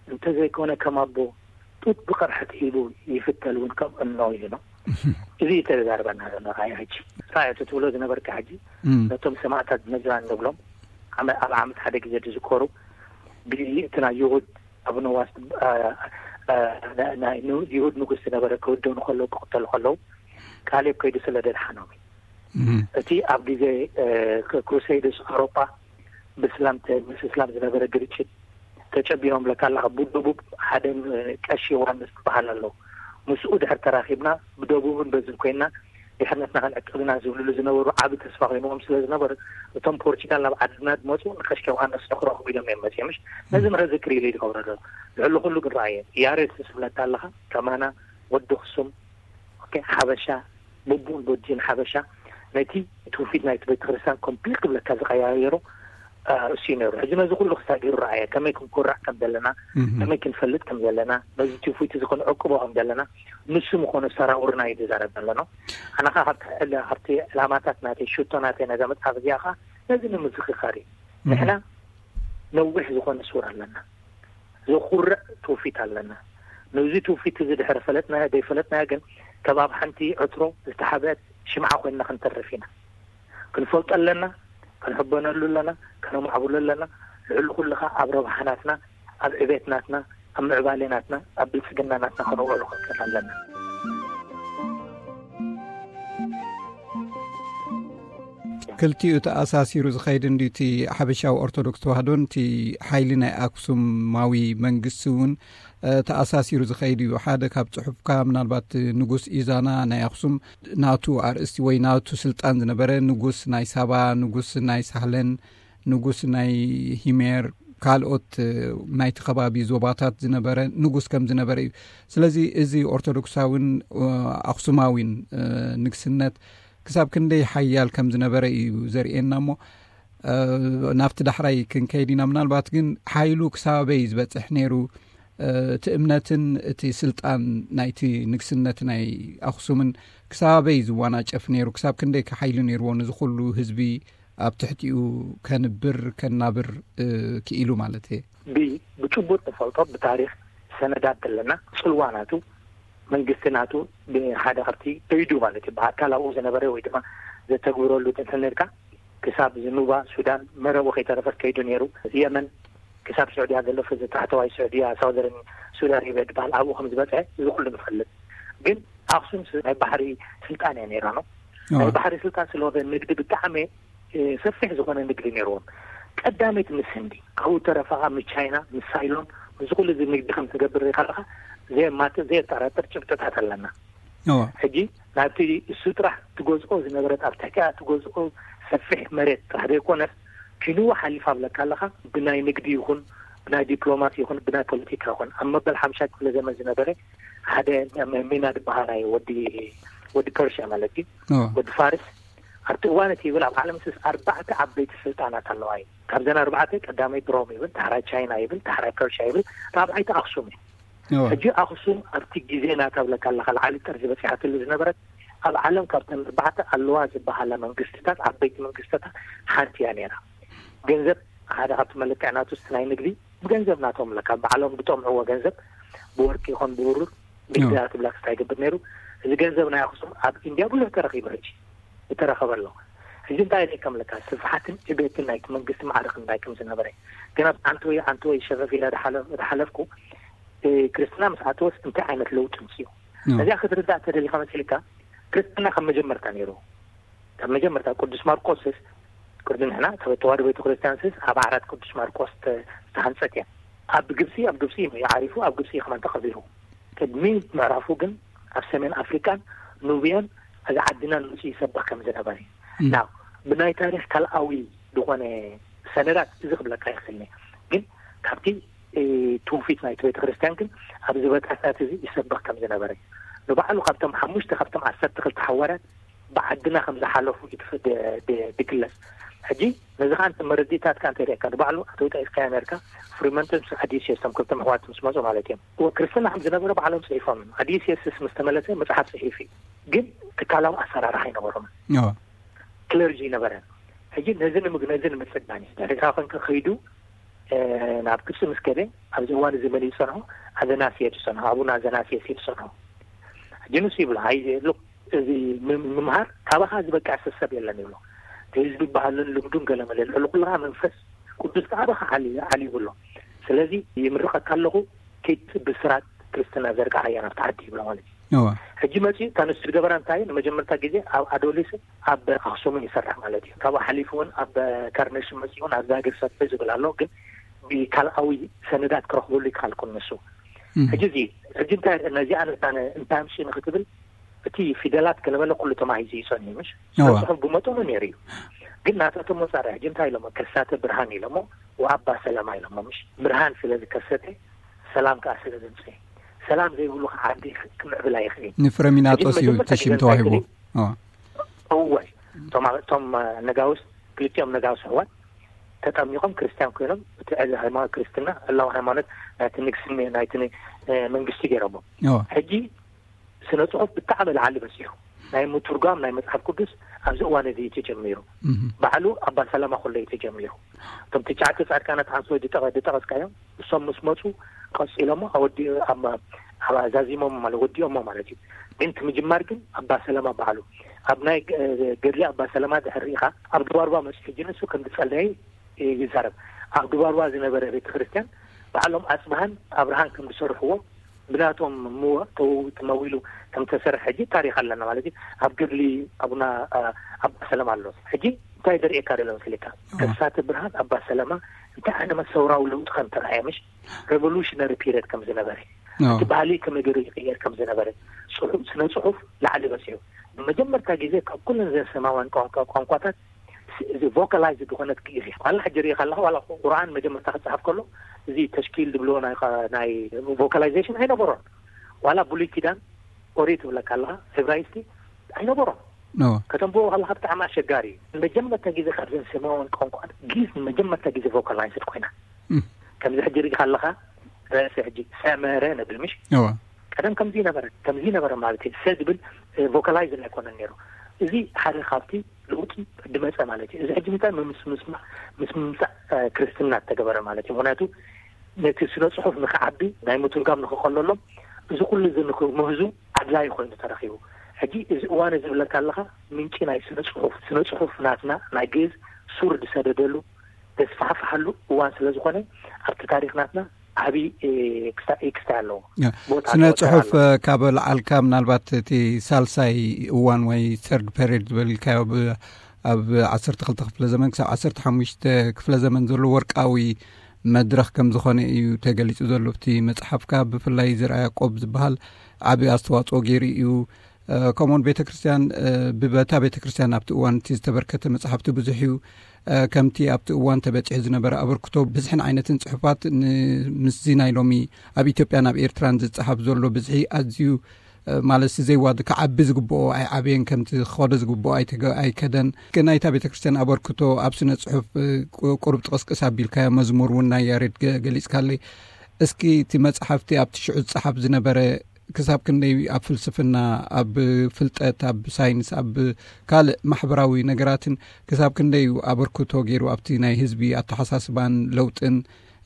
እንተዘይኮነ ከም ኣቦ፣ ጡጥ ብቕርሕቲ ሂቡ ይፍተል እውን ከም እኖ ኢሉ። እዚ እዩ ተዛርበና ዘሎ። ራእይ ሕጂ ራእይ እቲ ትብሎ ዝነበርካ ሕጂ እም። ነቶም ሰማዕታት ነጅራን ንብሎም ዓመ-፣ ኣብ ዓመት ሓደ ግዜ ዝዝከሩ ብእቲ ናይ ይሁድ ኣቡነ ዋስ፣ አ፣ አ፣ ናይ፣ ናይ ኑ-፣ ይሁድ ንጉስ ዝነበረ ክህደኑ ከለዉ፣ ክቕተሉ ከለዉ ካሌብ ከይዱ ስለ ደድሓኖም እዩ። እም። እቲ ኣብ ግዜ፣ እ፣ ክ-፣ ክሩሴድስ ኣውሮጳ ብስላም ተ-፣ ምስ እስላም ዝነበረ ግርጭት ተጨቢኖም ለካ ኣለኻ። ብደቡብ ሓደ፣ እ፣ ቀሺ ዮሃንስ ዝበሃል ኣሎ። ምስኡ ድሕር ተራኺብና ብደቡብን በዝን ኮይና ድሕነትና ክንዕቅብ ኢና ዝብልሉ ዝነበሩ ዓቢ ተስፋ ኮይንዎም ስለ ዝነበረ፣ እቶም ፖርቹጋል ናብ ዓድና ዝመጹ ንቀሺ ዮሃንስ ንክረኽቡ ኢሎም እዮም መጺኦም። ምሽ ነዚ ምረ ዝክሪ ኢሉ ይገብረሉ። ልዕሊ ኩሉ ግን ረኣየ። ያሬድ ዝብለካ ኣለኻ፣ ከማና ወዲ ኣኽሱም፣ ኦኬ፣ ሓበሻ፣ ብቡን ቦጂን ሓበሻ፣ ነቲ ትውፊት ናይቲ ቤተክርስትያን ኮምፕሊት ክብለካ ዝቀያየሩ፣ አ፣ እሱ እዩ ነይሩ። ሕጂ ነዚ ኩሉ ክሳጊሩ ረኣየ። ከመይ ክንኮርዕ ከም ዘለና፣ እም። ከመይ ክንፈልጥ ከም ዘለና፣ ነዚ ትውፊት እዚ ክንዕቅቦ ከም ዘለና፣ ንሱ ምኾነ ሰራውርና እዩ ዝዛረብ ዘሎ ነው። ኣነ ኸዓ ካብቲ ዕላ-፣ ካብቲ ዕላማታት ናተይ፣ ሽቶ ናተይ ነዛ መጽሓፍ እዚኣ ኸዓ ነዚ ንምዝኽኻር እዩ። እም። ንሕና ነዊሕ ዝኾነ ሱር ኣለና። ዘኹርዕ ትውፊት ኣለና። ነዚ ትውፊት እዚ ድሕሪ ፈለጥናዮ ዘይፈለጥናዮ ግን፣ ከም ኣብ ሓንቲ ዕትሮ ዝተሓብአት ሽምዓ ኮይንና ክንተርፍ ኢና። ክንፈልጦ ኣለና፣ ክንሕበነሉ ኣለና፣ ከነማዕብሎ ኣለና። ልዕሊ ኩሉ ኸዓ ኣብ ረብሓ ናትና፣ ኣብ ዕቤት ናትና፣ ኣብ ምዕባሌ ናትና፣ ኣብ ብልጽግና ናትና ከነውዕሎ ክንክእል ኣለና። ክልቲኡ ተኣሳሲሩ ዝኸይድ እንድዩ፣ እቲ ሓበሻዊ ኦርቶዶክስ ተዋህዶን እቲ ሓይሊ ናይ ኣክሱማዊ መንግስቲ እውን፣ እ፣ ተኣሳሲሩ ዝኸይድ እዩ። ሓደ ካብ ጽሑፍካ፣ ምናልባት ንጉስ ኢዛና ናይ ኣክሱም፣ ናቱ ኣርእስቲ ወይ ናቱ ስልጣን ዝነበረ፣ ንጉስ ናይ ሳባ፣ ንጉስ ናይ ሳህለን፣ ንጉስ ናይ ሂሜር፣ ካልኦት፣ እ፣ ናይቲ ከባቢ ዞባታት ዝነበረ ንጉስ ከም ዝነበረ እዩ። ስለዚ እዚ ኦርቶዶክሳዊን፣ እ፣ ኣክሱማዊን፣ እ፣ ንግስነት ክሳብ ክንደይ ሓያል ከም ዝነበረ እዩ ዘርእየና። እሞ፣ እ፣ ናብቲ ዳሕራይ ክንከይድ ኢና። ምናልባት ግን ሓይሉ ክሳበይ ዝበጽሕ ነይሩ፣ እ፣ እቲ እምነትን እቲ ስልጣን ናይቲ ንግስነት ናይ ኣኽሱምን ክሳበይ ዝዋናጨፍ ነይሩ፣ ክሳብ ክንደይ ሓይሊ ነይርዎ፣ ነዚ ኩሉ ህዝቢ ኣብ ትሕቲኡ ከንብር፣ ከናብር፣ እ፣ ክኢሉ ማለት እየ። ብ-፣ ብጭቡጥ ንፈልጦ፣ ብታሪኽ ሰነዳት ዘለና፣ ጽልዋ ናቱ፣ መንግስቲ ናቱ ብሓደ ከብቲ ከይዱ ማለት እዩ። ብኣካል ኣብኡ ዝነበረ ወይ ድማ ዘተግብረሉ እንተነርካ፣ ክሳብ ዝኑባ፣ ሱዳን፣ መረቡ ከይተረፈት ከይዱ ነይሩ። የመን፣ ክሳብ ስዑድያ ዘሎ፣ እዚ ታሕተዋይ ስዑድያ፣ ሳውዘርን ሱዳን ኣረብያ ዝበሃል፣ ኣብኡ ከም ዝበጽሐ እዚ ኩሉ ንፈልጥ። ግን ኣኽሱም ስ-፣ ናይ ባሕሪ ስልጣን እያ ነይራ ነው። ናይ ባሕሪ ስልጣን ስለሆነ ንግዲ ብጣዕሚ፣ እ፣ ሰፊሕ ዝኾነ ንግዲ ነይርዎም። ቀዳመይቲ ምስ ህንዲ፣ ካብኡ ተረፋ ምስ ቻይና፣ ምስ ሳይሎን፣ ምስ ኩሉ እዚ ንግዲ ከም ትገብር ሪኢኻ ኣለኻ፣ ዘየማትእ ዘየጠራጥር ጭብጥታት ኣለና። ሕጂ ናብቲ እሱ ጥራሕ ትገዝኦ ዝነበረት፣ ኣብ ትሕቲኣ ትገዝኦ ሰፊሕ መሬት ጥራሕ ዘይኮነስ፣ ኪንዋ ሓሊፋ ብለካ ኣለኻ፣ ብናይ ንግዲ ይኹን፣ ብናይ ዲፕሎማሲ ይኹን፣ ብናይ ፖለቲካ ይኹን፣ ኣብ መበል ሓምሻይ ክፍለ ዘመን ዝነበረ ሓደ ሜ-፣ ሜና ዝበሃል ናይ ወዲ፣ ወዲ ፐርሽያ ማለት እዩ፣ ወዲ ፋርስ፣ ኣብቲ እዋን እቲ ይብል ኣብ ዓለም ስስ ኣርባዕተ ዓበይቲ ስልጣናት ኣለዋ እዩ። ካብዘን ኣርባዕተ ቀዳመይቲ ሮም ይብል፣ ዳሕራይ ቻይና ይብል፣ ዳሕራይ ፐርሽያ ይብል፣ ራብዓይቲ ኣኽሱም እዩ። ሕጂ ኣኽሱም ኣብቲ ግዜ ናታ ብለካ ኣለኻ፣ ላዕሊ ጠርዚ በጺሓትሉ ዝነበረት፣ ኣብ ዓለም ካብተን ኣርባዕተ ኣለዋ ዝበሃላ መንግስትታት፣ ዓበይቲ መንግስትታት ሓንቲ እያ ነይራ። ገንዘብ ሓደ ካብቲ መለክዒ ናቱ፣ እስቲ ናይ ንግዲ ብገንዘብ ናቶም ብለካ፣ ባዕሎም ዝጠምዕዎ ገንዘብ፣ ብወርቂ ይኹን ብብሩር ንግዲ ኣትብላ ክስታይ ይገብር ነይሩ። እዚ ገንዘብ ናይ ኣኽሱም ኣብ ኢንድያ ብዙሕ ተረኺቡ፣ ሕጂ ዝተረኸበ ኣሎ። ሕጂ እንታይ ኢለ ከምልካ፣ ስፍሓትን ዕቤትን ናይቲ መንግስቲ ማዕረ ክንዳይ ከም ዝነበረ፣ ግን ኣብ ዓንተወይ፣ ዓንተወይ ሸፈፍ ኢለ ዝሓለ-፣ ዝሓለፍኩ፣ እ፣ ክርስትና ምስ ኣተወስ እንታይ ዓይነት ለውጢ ምጽኡ? እዚኣ ክትርዳእ ተደሊኻ መሲልካ፣ ክርስትና ካብ መጀመርታ ነይሩ። ካብ መጀመርታ ቅዱስ ማርቆስስ፣ ቅድሚ ንሕና፣ ካብ ተዋህዶ ቤተክርስትያንስስ ኣብ ዓራት ቅዱስ ማርቆስ ተ-፣ ዝተሃንጸት እያ። ኣብ ግብጺ፣ ኣብ ግብጺ እዩ ዓሪፉ፣ ኣብ ግብጺ እዩ ከማን ተቐቢሩ። ቅድሚ ምዕራፉ ግን ኣብ ሰሜን ኣፍሪቃን ኑብያን እዚ ዓድናን መጺኡ ይሰብኽ ከም ዝነበረ እዩ። እም። ናው፣ ብናይ ታሪኽ ካልኣዊ ዝኾነ ሰነዳት እዚ ክብለካ ይኽእል እየ። ግን ካብቲ እ፣ ትውፊት ናይቲ ቤተ ክርስቲያን ግን ኣብዚ በታታት እዚ ይሰበኽ ከም ዝነበረ፣ ንባዕሉ ካብቶም ሓሙሽተ ካብቶም ዓሰርተ ክልተ ሓዋርያት ብዓድና ከም ዝሓለፉ እዩ ትፍ-፣ ድ-፣ ድ-፣ ድግለጽ። ሕጂ ነዚ ኸኣ እንተ መረዲእታትካ እንተ ሪእካ፣ ንባዕሉ ኣቶ ጠቂስካዮ ነርካ፣ ፍሪመንቶን ኣዲሲዮስ፣ እቶም ክልተ ኣሕዋት ምስ መጹ ማለት እዮም። ወ-፣ ክርስትና ከም ዝነበረ ባዕሎም ጽሒፎም እዮም። ኣዲሲዮስስ ምስ ተመለሰ መጽሓፍ ጽሒፉ እዩ። ግን ትካላዊ ኣሰራርሓ ኣይነበሮምን። ክለርጂ ይነበረን። ሕጂ ነዚ ንምግ-፣ ነዚ ንምጽጋን እዩ። ኤርትራ ኮንካ ከይዱ፣ እ፣ ናብ ግብጺ ምስ ከደ፣ ኣብዚ እዋን እዚ መን እዩ ዝጸንሖ? ኣዘናስየስ እዩ ዝጸንሖ። ኣቡነ ኣዘናስየስ እዩ ዝጸንሖ። ሕጂ ንሱ ይብሎ፣ ኣይ፣ ሉክ፣ እዚ ም-፣ ምምሃር ካባኻ ዝበቅዕ ሰብ የለን ይብሎ። እቲ ህዝቢ ባህልን ልምዱን ገለ መለ ልዕሊ ኩሉ ከኣ መንፈስ ቅዱስ ከኣ ብኻ ዓሊ-፣ ዓሊ ይብሎ። ስለዚ ይምርቐካ ኣለኹ፣ ከይድ ብስራት ክርስትና ዘርግሓያ ናብቲ ዓዲ ይብሎ ማለት እዩ። እዋ። ሕጂ መጺኡ እታ ንሱ ዝገበራ እንታይ እዩ? ንመጀመርታ ግዜ ኣብ ኣዶሊስን ኣብ ኣኽሱምን ይሰርሕ ማለት እዩ። ካብኡ ሓሊፉ እውን ኣብ ካርነሽን መጺኡ እውን ኣብ ዛግር ሰርሑ ዝብል ኣሎ፣ ግን ብካልኣዊ ሰነዳት ክረኽበሉ ይከኣልኩን ንሱ። እም። ሕጂ እዚ፣ ሕጂ እንታይ፣ ነዚኣ ነታ ነ-፣ እንታይ ኣምጺኡ ንክትብል፣ እቲ ፊደላት ገለመለ ኩሉ ተማሂዙ እዩ ጸኒሑ፣ ምሽ? እዋ። ጽሑፍ ብመጠኑ ነይሩ እዩ። ግን ናታቶም መጻርያ ሕጂ እንታይ ኢሎሞ? ከሳተ ብርሃን ኢሎሞ፣ ወኣባ ሰላማ ኢሎሞ፣ ምሽ? ብርሃን ስለ ዝከሰተ፣ ሰላም ከኣ ስለ ዘምጽእ። ሰላም ዘይብሉ ከኣ ዓዲ ክምዕብል ኣይኽእልን። ንፍረሚናጦስ ሕጂ እዩ መጀመርታ ተሽም ክገልጻ ተዋሂቡ። ይኽእል። እዋ። እወ፣ እቶም፣ እቶም ነጋውስ፣ ክልቲኦም ነጋውስ ኣሕዋት ተጠሚቖም ክርስትያን ኮይኖም፣ እቲ ዕዚ ሃይማኖት ክርስትና፣ ዕላዊ ሃይማኖት ናይቲ ንግስኒ-፣ ናይቲ ን-፣ እ፣ መንግስቲ ገይሮሞ። እዋ። ሕጂ ስነ ጽሑፍ ብጣዕሚ ላዕሊ በጺሑ። ናይ ምትርጓም ናይ መጽሓፍ ቅዱስ ኣብዚ እዋን እዚ እዩ ተጀሚሩ። እም። ባዕሉ ኣባ ሰላማ ከሎ እዩ ተጀሚሩ። እቶም ትሽዓተ ጻድቃናት ሓንሶ ድጠቐ-፣ ድጠቐስካዮም፣ እሶም ምስ መጹ ቀጺሎሞ፣ ኣወዲ-፣ ኣብ፣ ኣብ ኣዛዚሞም ማለት፣ ወዲኦሞ ማለት እዩ። ግን እቲ ምጅማር ግን ኣባ ሰላማ ባዕሉ። ኣብ ናይ ገ-፣ ገድሊ ኣባ ሰላማ ድሕሪ ሪኢኻ፣ ኣብ ድባርባ መጺኡ፣ ሕጂ ንሱ ከም ዝጸለየ ይዛረብ። ኣብ ድባርባ ዝነበረ ቤተ ክርስቲያን ባዕሎም ኣጽብሃን ኣብርሃን ከም ዝሰርሕዎ፣ ብናቶም ምወ-፣ ተው-፣ ተመዊሉ ከም ተሰርሐ ሕጂ ታሪኽ ኣለና ማለት እዩ። ኣብ ገድሊ ኣቡና፣ ኣ-፣ ኣባ ሰላማ ኣሎ። ሕጂ እንታይ ዘርእየካ ዘሎ መሲልካ? እዋ። ከሳተ ብርሃን ኣባ ሰላማ እንታይ ዓይነት ሰውራዊ ለውጢ ከም ተራእየ፣ ምሽ? ሬቮሉሽነሪ ፒሪየድ ከም ዝነበረ፣ እዋ። እቲ ባህሊ ከመይ ገይሩ ይቕየር ከም ዝነበረ፣ ጽሑ-፣ ስነ ጽሑፍ ላዕሊ በጺሑ። ንመጀመርታ ግዜ ካብ ኩለን ዘሰማውያን ቋንቋ-፣ ቋንቋታት ስ-፣ እዚ ቮካላይዝ ዝኾነት ግእዝ እያ። ዋላ ሕጂ ሪኢኻ ኣለኻ፣ ዋላ ቁርኣን መጀመርታ ክጽሓፍ ከሎ፣ እዚ ተሽኪል ዝብልዎ ናይ ኸ-፣ ናይ ቮካላይዜሽን ኣይነበሮን። ዋላ ብሉይ ኪዳን ኦሪት ትብለካ ኣለኻ፣ ዕብራይስጢ ኣይነበሮን። ኖ። ከተንብቦ ከለኻ ብጣዕሚ ኣሸጋሪ እዩ። ንመጀመርታ ግዜ ካብዘን ሰማያውያን ቋንቋ ግእዝ ንመጀመርታ ግዜ ቮካላይዝድ ኮይና። እም። ከምዚ ሕጂ ሪኢኻ ኣለኻ፣ ረእሲ ሕጂ ሰመረ ንብል ምሽ? እዋ። ቀደም ከምዚ ነበረ፣ ከምዚ ነበረ ማለት እዩ። ሰ ዝብል፣ እ፣ ቮካላይዝ ኣይኮነን ነይሩ። እዚ ሓደ ካብቲ ለውጢ ድመጸ ማለት እዩ። እዚ ሕጂ ምንታይ ምስ፣ ምስ፣ ምስ ምምጻእ፣ እ፣ ክርስትና እተገበረ ማለት እዩ። ምኽንያቱ ነቲ ስነ ጽሑፍ ንኽዓቢ፣ ናይ ምትርጓም ንኽቐለሎም፣ እዚ ኩሉ እዚ ንኽምህዙ ኣድላዪ ኮይኑ ተረኺቡ። ሕጂ እዚ እዋን እዚ ዝብለካ ኣለኻ፣ ምንጪ ናይ ስነ ጽሑፍ፣ ስነ ጽሑፍ ናትና ናይ ግእዝ ሱር ዝሰደደሉ፣ ዘስፋሕፍሓሉ እዋን ስለ ዝኾነ፣ ኣብቲ ታሪኽ ናትና ዓቢ፣ እ፣ ክስታ-፣ እ፣ ክስታይ ኣለዎ። ያ፣ ቦታ ስነ ኣለዎ፣ ተራ ጽሑፍ፣ ኣለዎ። እ፣ ካብ ለዓልካ ምናልባት እቲ ሳልሳይ እዋን ወይ ሰርድ ፔሪድ ዝበልካዮ ብ-፣ ኣብ ዓሰርተ ክልተ ክፍለ ዘመን ክሳብ ዓሰርተ ሓሙሽተ ክፍለ ዘመን ዘሎ ወርቃዊ መድረኽ ከም ዝኾነ እዩ ተገሊጹ ዘሎ። ኣብቲ መጽሓፍካ ብፍላይ ዘርኣ ያዕቆብ ዝበሃል ዓቢ ኣስተዋጽኦ ገይሩ እዩ። እ፣ ከምኡውን ቤተ ክርስቲያን፣ እ፣ ብበታ ቤተ ክርስቲያን ኣብቲ እዋን እቲ ዝተበርከተ መጽሓፍቲ ብዙሕ እዩ። እ፣ ከምቲ ኣብቲ እዋን ተበጺሑ ዝነበረ ኣበርክቶ ብዝሕን ዓይነትን ጽሑፋት ን-፣ ምስዚ ናይ ሎሚ ኣብ ኢትዮጵያን ኣብ ኤርትራን ዝጸሓፍ ዘሎ ብዝሒ ኣዝዩ፣ እ፣ ማለትሲ ዘይዋድ ክዓቢ ዝግብኦ ኣይዓበየን፣ ከምቲ ክኸዶ ዝግብኦ ኣይተገ-፣ ኣይከደን። ግን ናይታ ቤተ ክርስቲያን ኣበርክቶ ኣብ ስነ ጽሑፍ፣ እ፣ ቁ-፣ ቁሩብ ጥቕስቅስ ኣቢልካዮ፣ መዝሙር እውን ናይ ያሬድ ገ-፣ ገሊጽካለይ። እስኪ እቲ መጽሓፍቲ ኣብቲ ሽዑ ዝጸሓፍ ዝነበረ ክሳብ ክንደይ ኣብ ፍልስፍና፣ ኣብ ፍልጠት፣ ኣብ ሳይንስ፣ ኣብ ካልእ ማሕበራዊ ነገራትን ክሳብ ክንደይ እዩ ኣበርክቶ ገይሩ ኣብቲ ናይ ህዝቢ ኣተሓሳስባን ለውጥን፣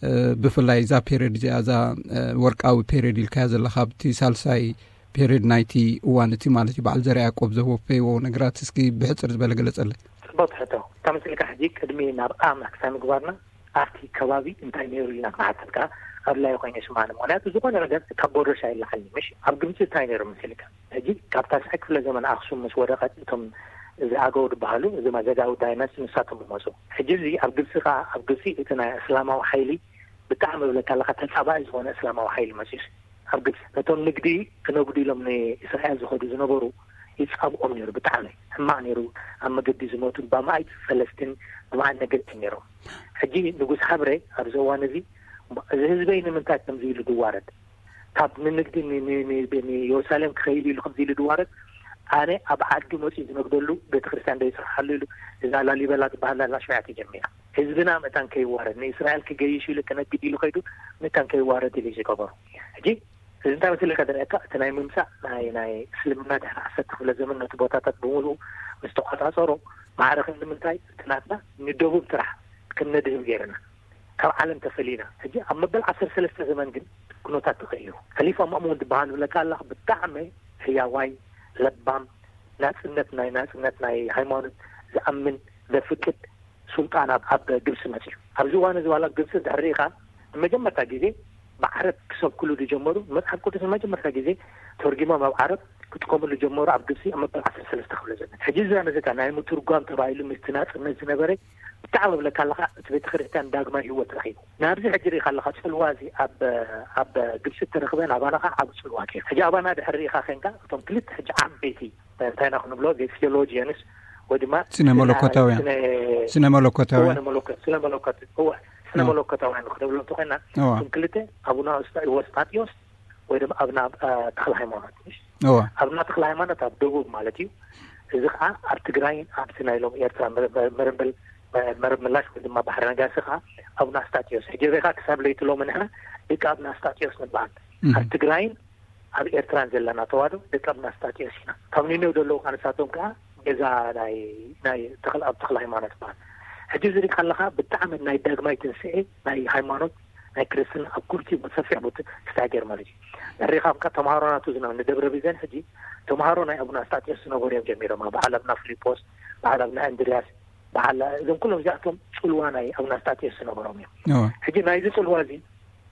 እ፣ ብፍላይ እዛ ፔሪድ እዚኣ፣ እዛ፣ እ፣ ወርቃዊ ፔሪድ ኢልካያ ዘለኻ፣ ኣብቲ ሳልሳይ ፔሪድ ናይቲ እዋን እቲ ማለት እዩ፣ በዓል ዘርኣ ያዕቆብ ዘወፈይዎ ነገራት እስኪ ብሕጽር ዝበለ ገለጸለይ። ጽቡቕ ትሕቶ። ተመስልካ ሕጂ ቅድሚ ናብ ኣምላኽ ክሳብ ምግባርና ኣብቲ ከባቢ እንታይ ነይሩ ኢልና ክንሓትት ከኣ ኣድላዪ ኮይኑ ይስምዓኒ። ምኽንያቱ ዝኾነ ነገር ካብ ቦርደርስ ኣይለዓልን እዩ። ምሽ ኣብ ግብጺ እንታይ ነይሩ መሲልካ? ሕጂ ካብ ታሽዓይ ክፍለ ዘመን ኣኽሱም ምስ ወደቐት እቶም እዚ ኣገው ዝበሃሉ፣ እዚ ዘጋዊ ዳይናስቲ ንሳቶም ዝመጹ። ሕጂ እዚ ኣብ ግብጺ ከኣ፣ ኣብ ግብጺ እቲ ናይ እስላማዊ ሓይሊ ብጣዕሚ እብለካ ኣለኻ ተጻባኢ ዝኾነ እስላማዊ ሓይሊ መጺኡ። ኣብ ግብጺ ነቶም ንግዲ ክነግዱ ኢሎም ንእስራኤል ዝኸዱ ዝነበሩ ይጻብኦም ነይሩ። ብጣዕሚ ሕማቕ ነይሩ። ኣብ መገዲ ዝሞቱ ብኣማኢት ፈለስትን ብኣማኢት ነገድትን ነይሮም። ሕጂ ንጉስ ሃብረ ኣብዚ እዋን እዚ እዚ ህዝበይ ንምንታይ ከምዚ ኢሉ ዝዋረድ? ካብ ንንግዲ ን- ን- ን- ንኢየሩሳሌም ክኸይድ ኢሉ ከምዚ ኢሉ ዝዋረድ? ኣነ ኣብ ዓዱ መፂኡ ዝነግደሉ ቤተክርስትያን ዶ ይስርሓሉ ኢሉ፣ እዛ ላሊበላ ዝበሃል ላላ ሽውያ ተጀሚራ። ህዝብና ምእንታን ከይዋረድ፣ ንእስራኤል ክገይሽ ኢሉ ክነግድ ኢሉ ከይዱ ምእንታን ከይዋረድ ኢሉ ዝገበሩ። ሕጂ እዚ እንታይ መሲለካ ዝረኣየካ? እቲ ናይ ምምፃእ ናይ ናይ እስልምና ድሕሪ ዓሰርተ ክፍለ ዘመን ነቲ ቦታታት ብምሉኡ ምስ ተቋፃፀሮ፣ ማዕረ ክንዲ ምንታይ እቲ ናትና ንደቡብ ጥራሕ ከም ነድህብ ገይርና፣ ካብ ዓለም ተፈሊና። ሕጂ ኣብ መበል ዓሰርተ ሰለስተ ዘመን ግን ኩነታት ተቐይሩ። ከሊፋ ማእሙን ዝበሃል ዝብለካ ኣለኻ፣ ብጣዕሚ ህያዋይ፣ ለባም፣ ናፅነት ናይ ናፅነት ናይ ሃይማኖት ዝኣምን ዘፍቅድ ሱልጣን ኣብ ኣብ ግብፂ መፅዩ። ኣብዚ እዋን እዚ ዋላ ግብፂ ድሕሪ ሪኢኻ ንመጀመርታ ግዜ ብዓረብ ክሰብክሉ ዝጀመሩ፣ መፅሓፍ ቅዱስ ንመጀመርታ ግዜ ተርጊሞም ኣብ ዓረብ ክጥቀምሉ ጀመሩ ኣብ ግብፂ ኣብ መበል ዓሰርተ ሰለስተ ክፍለ ዘመን። ሕጂ እዚ ነዚካ ናይ ምትርጓም ተባሂሉ ምስቲ ናፅነት ዝነበረ ብጣዕሚ እብለካ ኣለኻ፣ እቲ ቤተ ክርስቲያን ዳግማይ ህይወት ረኺቡ። ናብዚ ሕጂ ሪኢኻ ኣለኻ፣ ፅልዋ እዚ ኣብ ኣብ ግብፂ እተረኽበ ናባና ከዓ ዓብ ፅልዋ ገይሩ። ሕጂ ኣባና ድሕሪ ሪኢኻ ኸንካ እቶም ክልተ ሕጂ ዓበይቲ እንታይ ኢና ክንብሎ፣ ቴዎሎጂያንስ ወይ ድማ ስነ መለኮታውያን። ስነ- ስነ መለኮታውያን። እወ፣ መለኮት ስነ መለኮት እወ፣ ስነ እወ። መለኮታውያን ክንብሎ እንተኾይና እወ። እቶም ክልተ ኣቡነ ወስጣ- ወስጣጢዮስ ወይ ድማ ኣብና ተክለ ሃይማኖት፣ ምሽ እወ። ኣብና ተክለ ሃይማኖት ኣብ ደቡብ ማለት እዩ። እዚ ከዓ ኣብ ትግራይን ኣብቲ ናይ ሎም ኤርትራ መረብ ምላሽ ወይ ድማ ባሕሪ ነጋሲ ከዓ ኣብና ስጣጢዮስ ሕጂ ሪኢኻ ክሳብ ለይቲ ሎም ንሕና ደቂ ኣብና ስጣጢዮስ ንበሃል። ኣብ ትግራይን ኣብ ኤርትራን ዘለና ተዋህዶ ደቂ ኣብና ስጣጢዮስ ኢና። ካብ ኒነው ዘለዉ ከዓ ንሳቶም ከዓ ገዛ ናይ ናይ ተክለ ኣብ ተክለ ሃይማኖት በሃል። ሕጂ ዝሪኢካ ኣለካ ብጣዕሚ ናይ ዳግማይ ትንስኤ ናይ ሃይማኖት ናይ ክርስትና ኣብ ኩልቲ ሰፊሕ ቦታ ክስታይ ገይር ማለት እዩ። ሪኢኻ ተምሃሮ ናቱ ዝነበሩ ንደብረ ቢዘን ሕጂ ተምሃሮ ናይ ኣቡና ስጣጢዮስ ዝነበሩ እዮም ጀሚሮም። በዓል ኣብና ፊሊጶስ፣ በዓል ኣብና እንድርያስ፣ በዓል እዞም ኩሎም እዚኣቶም ፅልዋ ናይ ኣቡና ስጣጢዮስ ዝነበሮም እዮም። ሕጂ ናይዚ ፅልዋ እዚ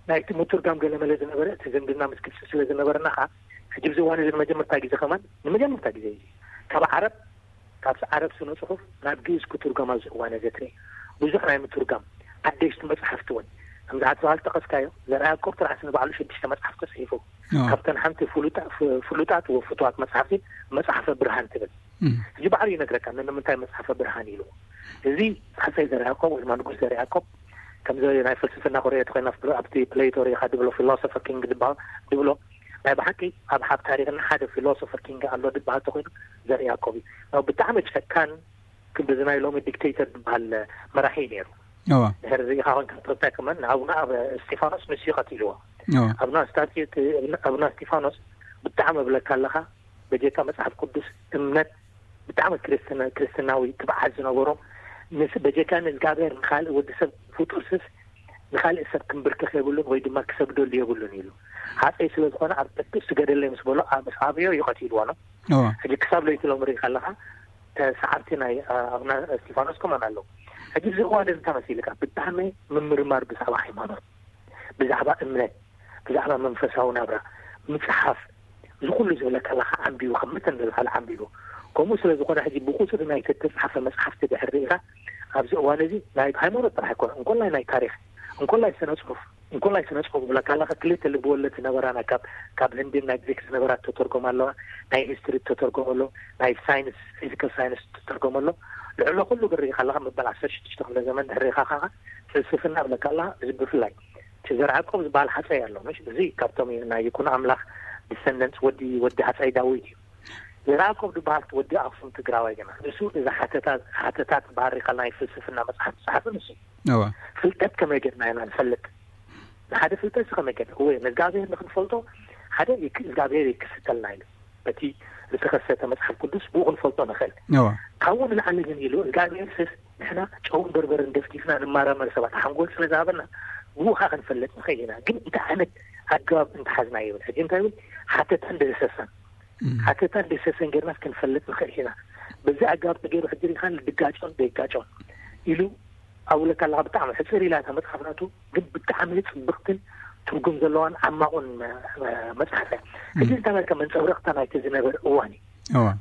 ናይቲ ምትርጋም ገለመለ ዝነበረ እቲ ዝምድና ምስ ግብፂ ስለ ዝነበረና ከዓ ሕጂ ብዚ እዋን እዚ ንመጀመርታ ግዜ ከማን ንመጀመርታ ግዜ እዩ ካብ ዓረብ ካብዚ ዓረብ ስነ ፅሑፍ ናብ ግእዝ ክትርጎም ኣብዚ እዋን እዚ ትርኢ ብዙሕ ናይ ምትርጋም ሓደሽቲ መፅሓፍቲ እውን ከምዚ ዓቲ በሃል ጠቐስካዮ ዘርኣ ያዕቆብ ጥራሕ ንባዕሉ ሽዱሽተ መፅሓፍቲ ፅሒፉ ካብተን ሓንቲ ፍሉጣት ወፍትዋት መፅሓፍቲ መፅሓፈ ብርሃን ትብል እዚ ባዕሉ ይነግረካ ንምንታይ መፅሓፈ ብርሃን ኢሉ እዚ ሓፀይ ዘርኣ ያዕቆብ ወይ ድማ ንጉስ ዘርኣ ያዕቆብ ከምዚ ናይ ፍልስፍና ኮርኤ ተኮይና ኣብቲ ፕሌቶ ሪኢካ ድብሎ ፊሎሶፈር ኪንግ ድብሎ ናይ ብሓቂ ኣብ ሓብ ታሪክና ሓደ ፊሎሶፈር ኪንግ ኣሎ ድበሃል ተኮይኑ ዘርኢ ያዕቆብ እዩ። ብጣዕሚ ጨካን ክንዲ ናይ ሎሚ ዲክቴተር ዝበሃል መራሒ እዩ ነይሩ። ድሕሪ ዚኢኻ ኮንካ ተወሳኪ መን ንኣቡና ኣብ እስጢፋኖስ ንሱ እዩ ቀቲልዎ። ኣብና ስታትዩ ኣብና እስጢፋኖስ ብጣዕሚ እብለካ ኣለኻ በጀካ መፅሓፍ ቅዱስ እምነት ብጣዕሚ ክርስትናዊ ትብዓት ዝነበሮም ምስ በጀካ ንእግዚኣብሔር ንካልእ ወዲ ሰብ ፍጡርስስ ንካልእ ሰብ ክንብርክኽ የብሉን ወይ ድማ ክሰግደሉ የብሉን ኢሉ። ሃፀይ ስለ ዝኾነ ኣብ ቅዱስ ስገደለይ ምስ በሎ ምስ ኣብዮ እዩ ቀቲልዎ ነው። ሕጂ ክሳብ ለይቲ ሎም ርኢ ከለኻ ተሰዓብቲ ናይ ኣብና እስጢፋኖስ ከማን ኣለዉ። ሕጂ እዚ እዋን እዚ እንታይ መሲልካ ብጣዕሚ ምምርማር ብዛዕባ ሃይማኖት ብዛዕባ እምነት ብዛዕባ መንፈሳዊ ናብራ ምፅሓፍ እዚ ኩሉ ዝብለካ ኣለካ ዓንቢቡ ከም መተን ዝበሃል ዓንቢቡ ከምኡ ስለ ዝኾነ ሕጂ ብቁፅሪ ናይ ተተፅሓፈ መፅሓፍቲ ድሕር ርኢኻ ኣብዚ እዋን እዚ ናይ ሃይማኖት ጥራሕ ኣይኮነ እንኮላይ ናይ ታሪክ እንኮላይ ስነ ፅሑፍ እንኮላይ ስነ ፅሑፍ ዝብለካ ኣለካ ክልተ ልብወለድ ዝነበራና ካብ ካብ ህንድን ናይ ግሪክ ዝነበራ ተተርጎም ኣለዋ ናይ ሂስትሪ ተተርጎም ኣሎ ናይ ሳይንስ ፊዚካል ሳይንስ ተተርጎም ኣሎ ልዕሎ ኩሉ ግን ርኢኻ ኣለካ መበል ዓሰርተ ሽዱሽተ ክፍለ ዘመን ድሕር ርኢኻ ከዓ ፍልስፍና ብለካ ኣለካ እዚ ብፍላይ እቲ ዘርዓ ያዕቆብ ዝበሃል ሓፀይ ኣሎ ምሽ እዚ ካብቶም ናይ ይኩኖ ኣምላክ ዲሰንደንትስ ወዲ ወዲ ሃፀይ ዳዊት እዩ። ዘርዓ ያዕቆብ ዝበሃል ወዲ ኣክሱም ትግራዋይ ግና ንሱ እዚ ሓተታት ሓተታት ዝበሃል ሪኢካ ናይ ፍልስፍና መፅሓፍ ዝፀሓፈ ንሱ እዩ። ፍልጠት ከመይ ገርና ኢና ንፈልጥ? ንሓደ ፍልጠት ከመይ ገርና እወ ንእግዚኣብሔር ንክንፈልጦ ሓደ እግዚኣብሔር ይክስተልና ኢሉ በቲ ዝተኸሰተ መፅሓፍ ቅዱስ ብኡ ክንፈልጦ ንኽእል። ካብኡ ንላዕሊ ግን ኢሉ እግዚኣብሔር ስስ ንሕና ጨውን በርበርን ደፍዲፍና ንማራመር ሰባት ሓንጎል ስለ ዝሃበና ብኡ ከዓ ክንፈልጥ ንኽእል ኢና። ግን እንታይ ዓይነት ኣገባብ እንተሓዝና ይብል ሕጂ እንታይ ይብል ሓተታን ደህሰሳን ሓተታን ደህሰሰን ገርናስ ክንፈልጥ ንኽእል ኢና። በዚ ኣገባብ ተገይሩ ሕጂ ሪኢኻ ድጋጮን ደይጋጮን ኢሉ ኣብለካ ኣለካ ብጣዕሚ ሕፅር ኢላ እታ መፅሓፍ ናቱ ግን ብጣዕሚ ፅብቅትን ትርጉም ዘለዋን ዓማቑን መፅሓፍ እያ። ሕጂ እንታይ መልካ መንፀብረቕታ ናይቲ ዝነበረ እዋን እዩ።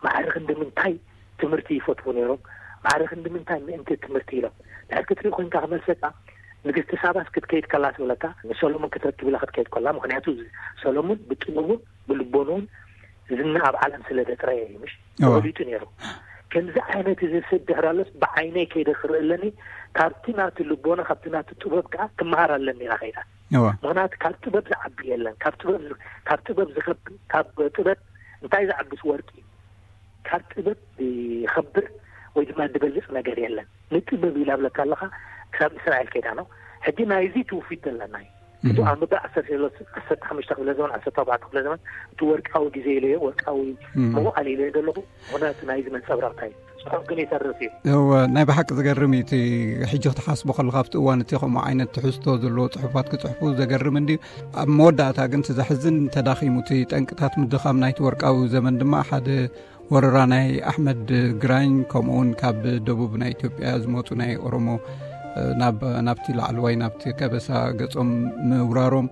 ማዕረ ክንዲ ምንታይ ትምህርቲ ይፈትዉ ነይሮም፣ ማዕረ ክንዲ ምንታይ ምእንቲ ትምህርቲ ኢሎም። ድሕር ክትርኢ ኮይንካ ክመልሰካ ንግስቲ ሳባስ ክትከይድ ከላ ትብለካ ንሰሎሞን ክትረክብ ኢላ ክትከይድ ከላ፣ ምክንያቱ ሰሎሞን ብጥበቡን ብልቦንኡን ዝና ኣብ ዓለም ስለ ዘጥረየ እዩ ምሽ ተወሊጡ ነይሩ። ከምዚ ዓይነት እዚ ሰብ ድሕር ኣሎስ ብዓይነይ ከይደ ክርኢ ኣለኒ፣ ካብቲ ናቱ ልቦና ካብቲ ናቱ ጥበብ ከዓ ክመሃር ኣለኒ ኢላ ከይዳ። እዋ ምክንያቱ ካብ ጥበብ ዝዓቢ የለን። ካብ ጥበብ ዝ- ካብ ጥበብ ዝኸብር ካብ ጥበብ እንታይ ዝዓብስ ወርቂ ካብ ጥበብ ይኸብር ወይ ድማ ዝበልፅ ነገር የለን። ንጥበብ ይላብለካ ኣለካ። ክሳብ እስራኤል ከይዳ ነው። ሕጂ ናይዚ ትውፊት ዘለና እዩ። እዚ ኣብ ምብዳእ ዓሰርተ ዓሰርተ ሓሙሽተ ክፍለ ዘመን ዓሰርተ ኣርባዕተ ክፍለ ዘመን እቲ ወርቃዊ ግዜ ኢለ ወርቃዊ መዋዕል ኢለ ዘለኹ። ምክንያቱ ናይዚ መንፀብራቕታ እዩ። ጽሑፍ ግን ይተርፍ እዩ። እወ ናይ ብሓቂ ዝገርም እዩ። እቲ ሕጂ ክትሓስቦ ከለካ ኣብቲ እዋን እቲ ከምኡ ዓይነት ትሕዝቶ ዘለዎ ጽሑፋት ክጽሕፉ ዘገርም እንዲ ኣብ መወዳእታ ግን እቲ ዘሕዝን ተዳኺሙ። እቲ ጠንቅታት ምድኻም ናይቲ ወርቃዊ ዘመን ድማ ሓደ ወረራ ናይ ኣሕመድ ግራኝ ከምኡውን ካብ ደቡብ ናይ ኢትዮጵያ ዝመፁ ናይ ኦሮሞ ናብቲ ላዕለዋይ ናብቲ ከበሳ ገፆም ምውራሮም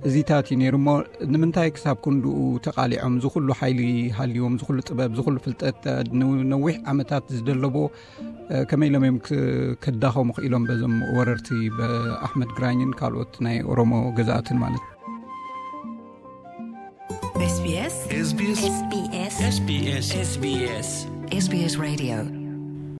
እዚታት እዩ ነይሩ። እሞ ንምንታይ ክሳብ ክንድኡ ተቃሊዖም? ዝኩሉ ሓይሊ ሃልዎም፣ ዝኩሉ ጥበብ፣ ዝኩሉ ፍልጠት፣ ነዊሕ ዓመታት ዝደለቦ ከመይ ኢሎም እዮም ከዳኸሙ ክኢሎም በዞም ወረርቲ በኣሕመድ ግራኝን ካልኦት ናይ ኦሮሞ ገዛእትን ማለት? SBS SBS SBS SBS SBS Radio